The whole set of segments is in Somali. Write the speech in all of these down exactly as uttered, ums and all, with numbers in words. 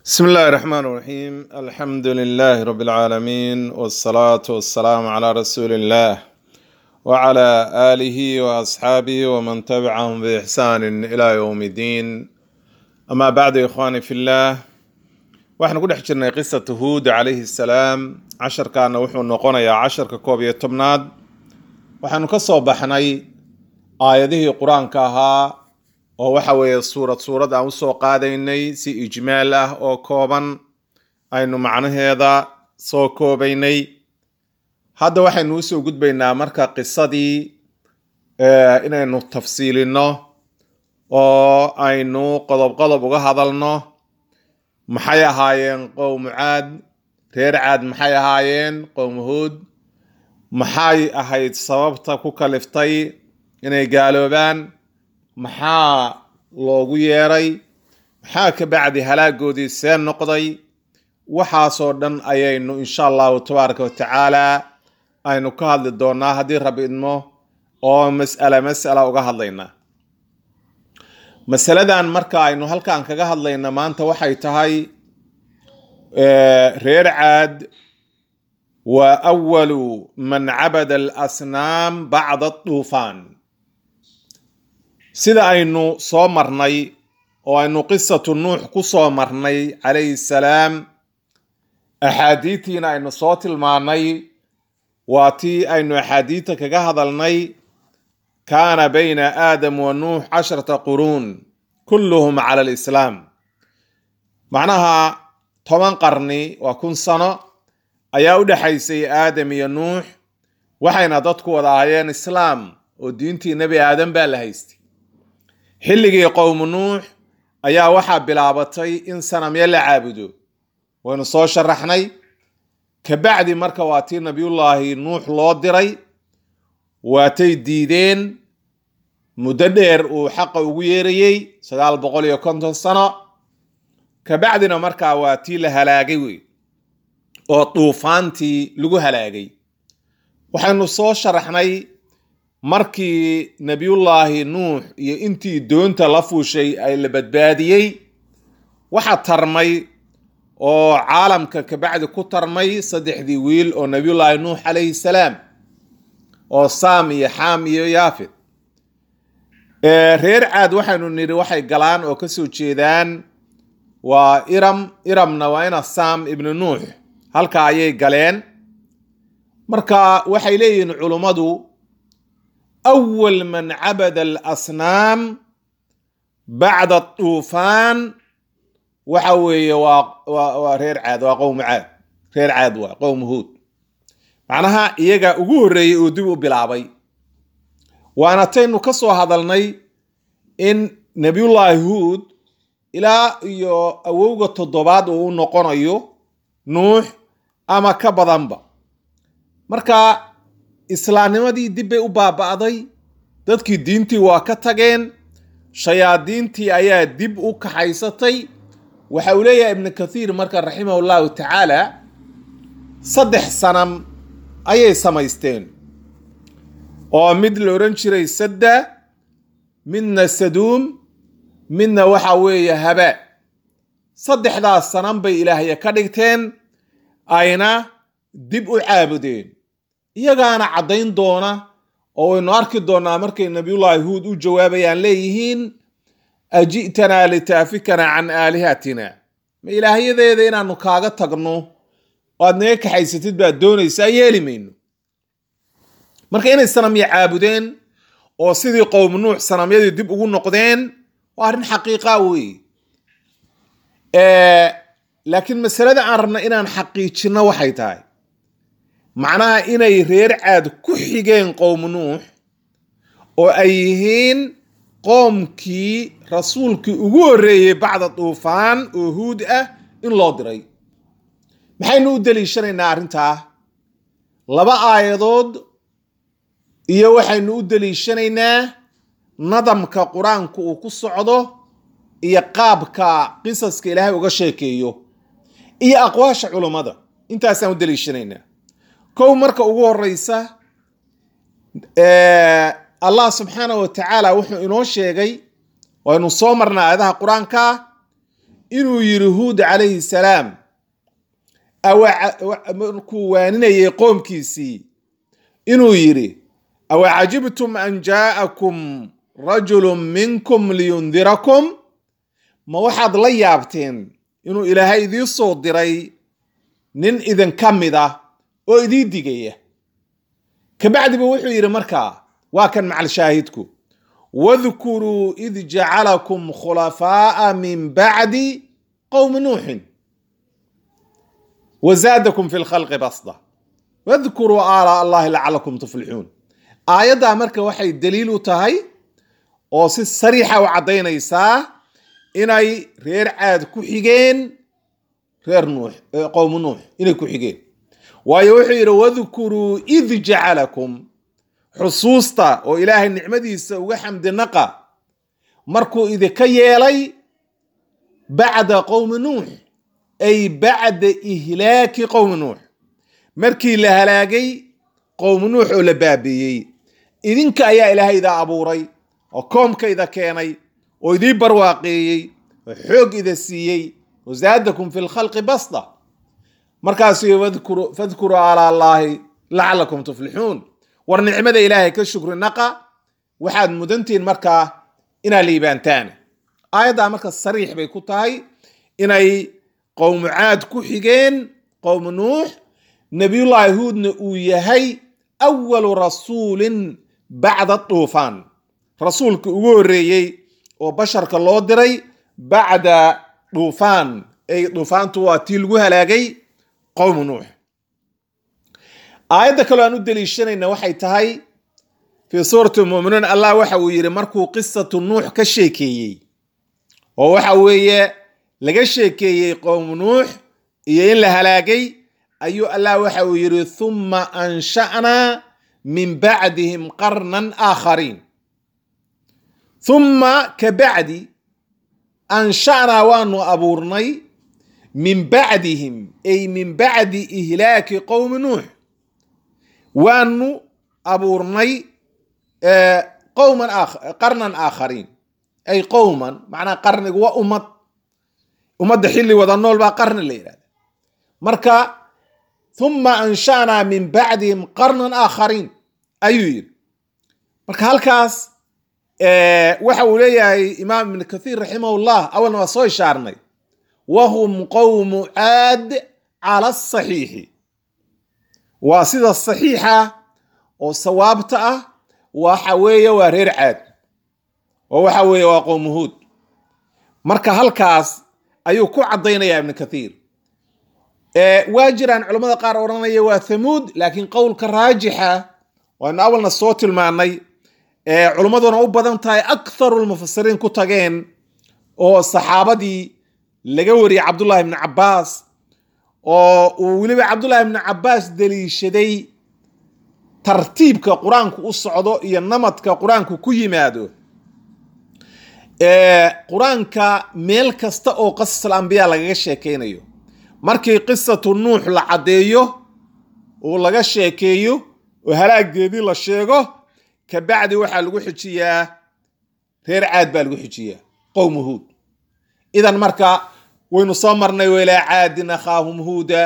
بسم الله الرحمن الرحيم، الحمد لله رب العالمين، والصلاة والسلام على رسول الله وعلى آله وأصحابه ومن تبعهم بإحسان إلى يوم الدين. أما بعد، إخواني في الله، waxaynu ku dhex jirnay qisatu Huud calayhi salaam. Casharkaana wuxuu noqonayaa casharka koob iyo tobnaad. Waxaanu ka soo baxnay aayadihii qur-aanka ahaa oo waxa weeye suurad suurad aan usoo qaadaynay, si ijmaal ah oo kooban aynu macnaheeda soo koobaynay. Hadda waxaynu usoo gudbaynaa marka qisadii inaynu tafsiilino oo aynu qodob qodob uga hadalno. Maxay ahaayeen qowmu Caad? Reer Caad maxay ahaayeen? Qowmu Huud maxay ahayd sababta ku kaliftay inay gaaloobaan? Maxaa loogu yeeray? Maxaa ka bacdi halaagoodii see noqday? Waxaasoo dhan ayaynu insha Allahu tabaaraka watacaala aynu ka hadli doonaa haddii Rabbi idmo, oo mas'ala mas'ala uga hadlaynaa. Masaladan marka aynu halkan kaga hadlayna maanta waxay tahay reer Caad waa awalu man cabada alasnaam bacda aduufaan. Sida aynu soo marnay oo aynu qisatu Nuux ku soo marnay calayhi salaam, axaadiitiina aynu soo tilmaanay, waa tii aynu axaadiita kaga hadalnay: kaana bayna Aadam wa Nuux casharata quruun kulluhum cala alislaam. Macnaha toban qarni, waa kun sano, ayaa u dhexaysay Aadam iyo Nuux, waxayna dadku wada ahaayeen islaam oo diintii Nebi Aadam baa la haystay. Xilligii qowmu Nuux ayaa waxaa bilaabatay in sanamyo la caabudo, waynu soo sharaxnay. Kabacdi marka waa tii Nabiyullaahi Nuux loo diray, waatay diideen muddo dheer uu xaqa ugu yeerayey, sagaal boqol iyo konton sano. Kabacdina markaa waa tii la halaagay wey, oo duufaantii lagu halaagay. Waxaynu soo sharaxnay markii Nabiyullaahi Nuux iyo intii doonta la fuushay ay la badbaadiyey, waxa tarmay oo caalamka kabacdi ku tarmay saddexdii wiil oo Nabiyullaahi Nuux calayhi salaam, oo Saam iyo Xaam iyo Yaafid. Reer Caad waxaynu nidhi waxay galaan oo kasoo jeedaan waa Iram, Iramna waa ina Saam ibnu Nuux, halka ayay galeen. Marka waxay leeyihiin culummadu awal man cabada alasnaam bacda duufaan waxa weeye waa waa reer Caad, waa qowmu Caad, reer Caad waa qowmu Huud. Macnaha iyagaa ugu horreeyey oo dib u bilaabay. Waana taynu ka soo hadalnay in Nabiyullaahi Huud ilaa iyo awowga toddobaad uu u noqonayo Nuux ama ka badanba. Marka islaamnimadii dib bay u baaba'day, dadkii diintii waa ka tageen, shayaadiintii ayaa dib u kaxaysatay. Waxa uu leeyahay Ibnu Kathiir marka raximahu llahu tacaala, saddex sanam ayay samaysteen, oo mid la odhan jiray Sadda, midna Saduum, midna waxa weeye Habaa. Saddexdaas sanam bay ilaahya ka dhigteen, ayna dib u caabudeen. Iyagaana caddayn doona oo waynu arki doonaa markay Nabiyullaahi Huud u jawaabayaan leeyihiin: aji'tanaa litaafikana can aalihatina, ma ilaahyadeeda inaanu kaaga tagno oo aad naga kaxaysatid baad doonaysaa? Yeeli mayno. Marka inay sanamya caabudeen oo sidii qowmu Nuux sanamyadii dib ugu noqdeen waa arrin xaqiiqa weeye. Laakiin masalada aan rabna inaan xaqiijinno waxay tahay macnaha inay reer Caad ku xigeen qowmu Nuux oo ay yihiin qoomkii rasuulkii ugu horreeyey bacda duufaan oo Huud ah in loo diray. Maxaynu u deliishanaynaa arrintaa? Laba aayadood iyo waxaynu u deliishanaynaa nadamka qur-aanku uu ku socdo iyo qaabka qisaska Ilaahay uga sheekeeyo iyo aqwaasha culummada. Intaasaan u deliishanaynaa. Kow, marka ugu horeysa, Allah subxaana wa tacaala wuxuu inoo sheegay, waynu soo marnaa aayadaha qur-aanka, inuu yiri Huud calayhi salaam markuu waaninayay qoomkiisii inuu yiri awacajibtum an jaa'akum rajulun minkum liyundirakum, ma waxaad la yaabteen inuu Ilaahay idii soo diray nin idin ka mid ah oo idii digaya. Kabacdiba wuxuu yiri markaa waa kan macal shaahidku, wadhkuruu id jacalakum khulafaa'a min bacdi qowmi nuuxin wazaadakum fi lkhalqi basda wadhkuruu aalaa allahi lacalakum tuflixuun. Aayaddaa marka waxay daliil u tahay oo si sariixa u caddaynaysaa inay reer Caad ku xigeen reer Nuux, qowmu Nuux inay ku xigeen. Waayo wuxuu yidhi wadhkuruu id jacalakum, xusuusta oo Ilaahay nicmadiisa uga xamdinaqa markuu idinka yeelay bacda qowmi Nuux, ay bacda ihlaaki qowmi Nuux, markii la halaagay qowmu Nuux oo la baabi'iyey, idinka ayaa Ilaahay ida abuuray oo koomka ida keenay oo idii barwaaqeeyey oo xoog ida siiyey, wazaadakum fi lkhalqi basda. Markaasuu fadkuruu aalaa allaahi lacalakum tuflixuun, war nicmada Ilaahay ka shukri naqa, waxaad mudantihiin markaa inaad liibaantaan. Aayaddaa marka sariix bay ku tahay inay qowmu Caad ku xigeen qowmu Nuux, nabiyullaahi Huudna uu yahay awalu rasuulin bacda duufaan, rasuulka ugu horreeyey oo basharka loo diray bacda duufaan, ay duufaantu waa tii lagu halaagay qowmu Nuux. Aayadda kaloo aan u daliishanayna waxay tahay fii suurati Mu'minuun, Allah waxa uu yiri markuu qisatu Nuux ka sheekeeyey oo waxa weeye laga sheekeeyey qowmu Nuux iyo in la halaagay, ayuu Allah waxa uu yiri thumma ansha'naa min bacdihim qarnan aakhariin. Thumma ka bacdi ansha'naa waanu abuurnay min bacdihim, ay min bacdi ihlaaki qowmi Nuux, waanu abuurnay qowman qarnan aakhariin, ay qowman macnaha qarnigu waa ummad, ummadda xilli wada nool baa qarni la yidhahda. Marka thumma ansha'naa min bacdihim qarnan aakhariin ayuu yidhi. Marka halkaas waxa uu leeyahay Imaam Ibn Kathiir raximahullah, awalna waa soo ishaarnay, wahum qowmu Caad cala asaxiixi, waa sida saxiixa oo sawaabta ah, waxa weeye waa reer Caad oo waxa weeye waa qowmu Huud. Marka halkaas ayuu ku caddaynayaa Ibn Kathiir. Waa jiraan culamada qaar odhanaya waa Thamuud, laakiin qowlka raajixa waanu awalna soo tilmaanay, culimmaduna u badan tahay aktharu lmufasiriin ku tageen, oo saxaabadii laga wariyey Cabdullahi ibni Cabbaas, oo uu weliba Cabdullahi ibni Cabbaas daliishaday tartiibka qur-aanku u socdo iyo namadka qur-aanku ku yimaado. Qur-aanka meel kasta oo qasas al-anbiyaa lagaga sheekeynayo, markii qisatu Nuux la caddeeyo oo laga sheekeeyo oo halaageedii la sheego, kabacdi waxaa lagu xijiyaa reer Caad baa lagu xijiyaa qowmu Huud. Idan marka waynu soo marnay wailaa caadin akhaahum huuda,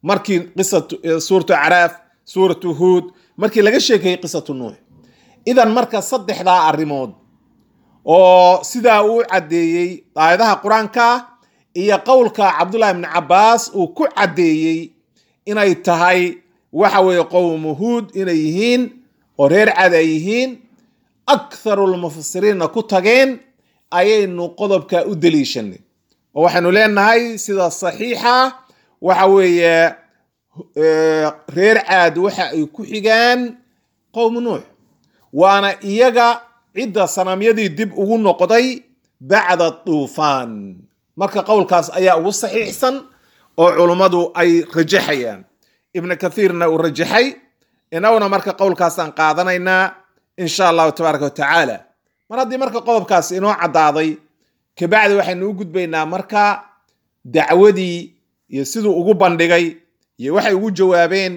markii qisatu suuratu Acraaf, suuratu Huud, markii laga sheekeeyey qisatu Nuux. Idan marka saddexdaa arrimood oo sidaa uu caddeeyey aayadaha qur-aanka iyo qowlka Cabdullahi ibni Cabbaas uu ku caddeeyey inay tahay waxa weeye qowmu Huud inay yihiin oo reer Caad ay yihiin, aktharulmufasiriinna ku tageen, ayaynu qodobka u daliishanay. Oo waxaynu leenahay sida saxiixa waxa weeye reer Caad waxa ay ku xigaan qowmu Nuux, waana iyaga cidda sanamyadii dib ugu noqday bacda duufaan. Marka qowlkaas ayaa ugu saxiixsan oo culummadu ay rajaxayaan, Ibn Kathiirna uu rajaxay, inaguna marka qowlkaasaan qaadanaynaa insha allahu tabaaraka wa tacaala. Mar haddii marka qodobkaas inoo caddaaday, kabacdi waxaynu u gudbaynaa marka dacwadii iyo siduu ugu bandhigay iyo waxay ugu jawaabeen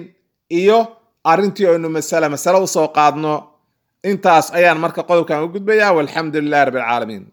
iyo arrintii aynu masale masale usoo qaadno. Intaas ayaan marka qodobkan u gudbayaa, walxamdu lilahi rabbi alcaalamiin.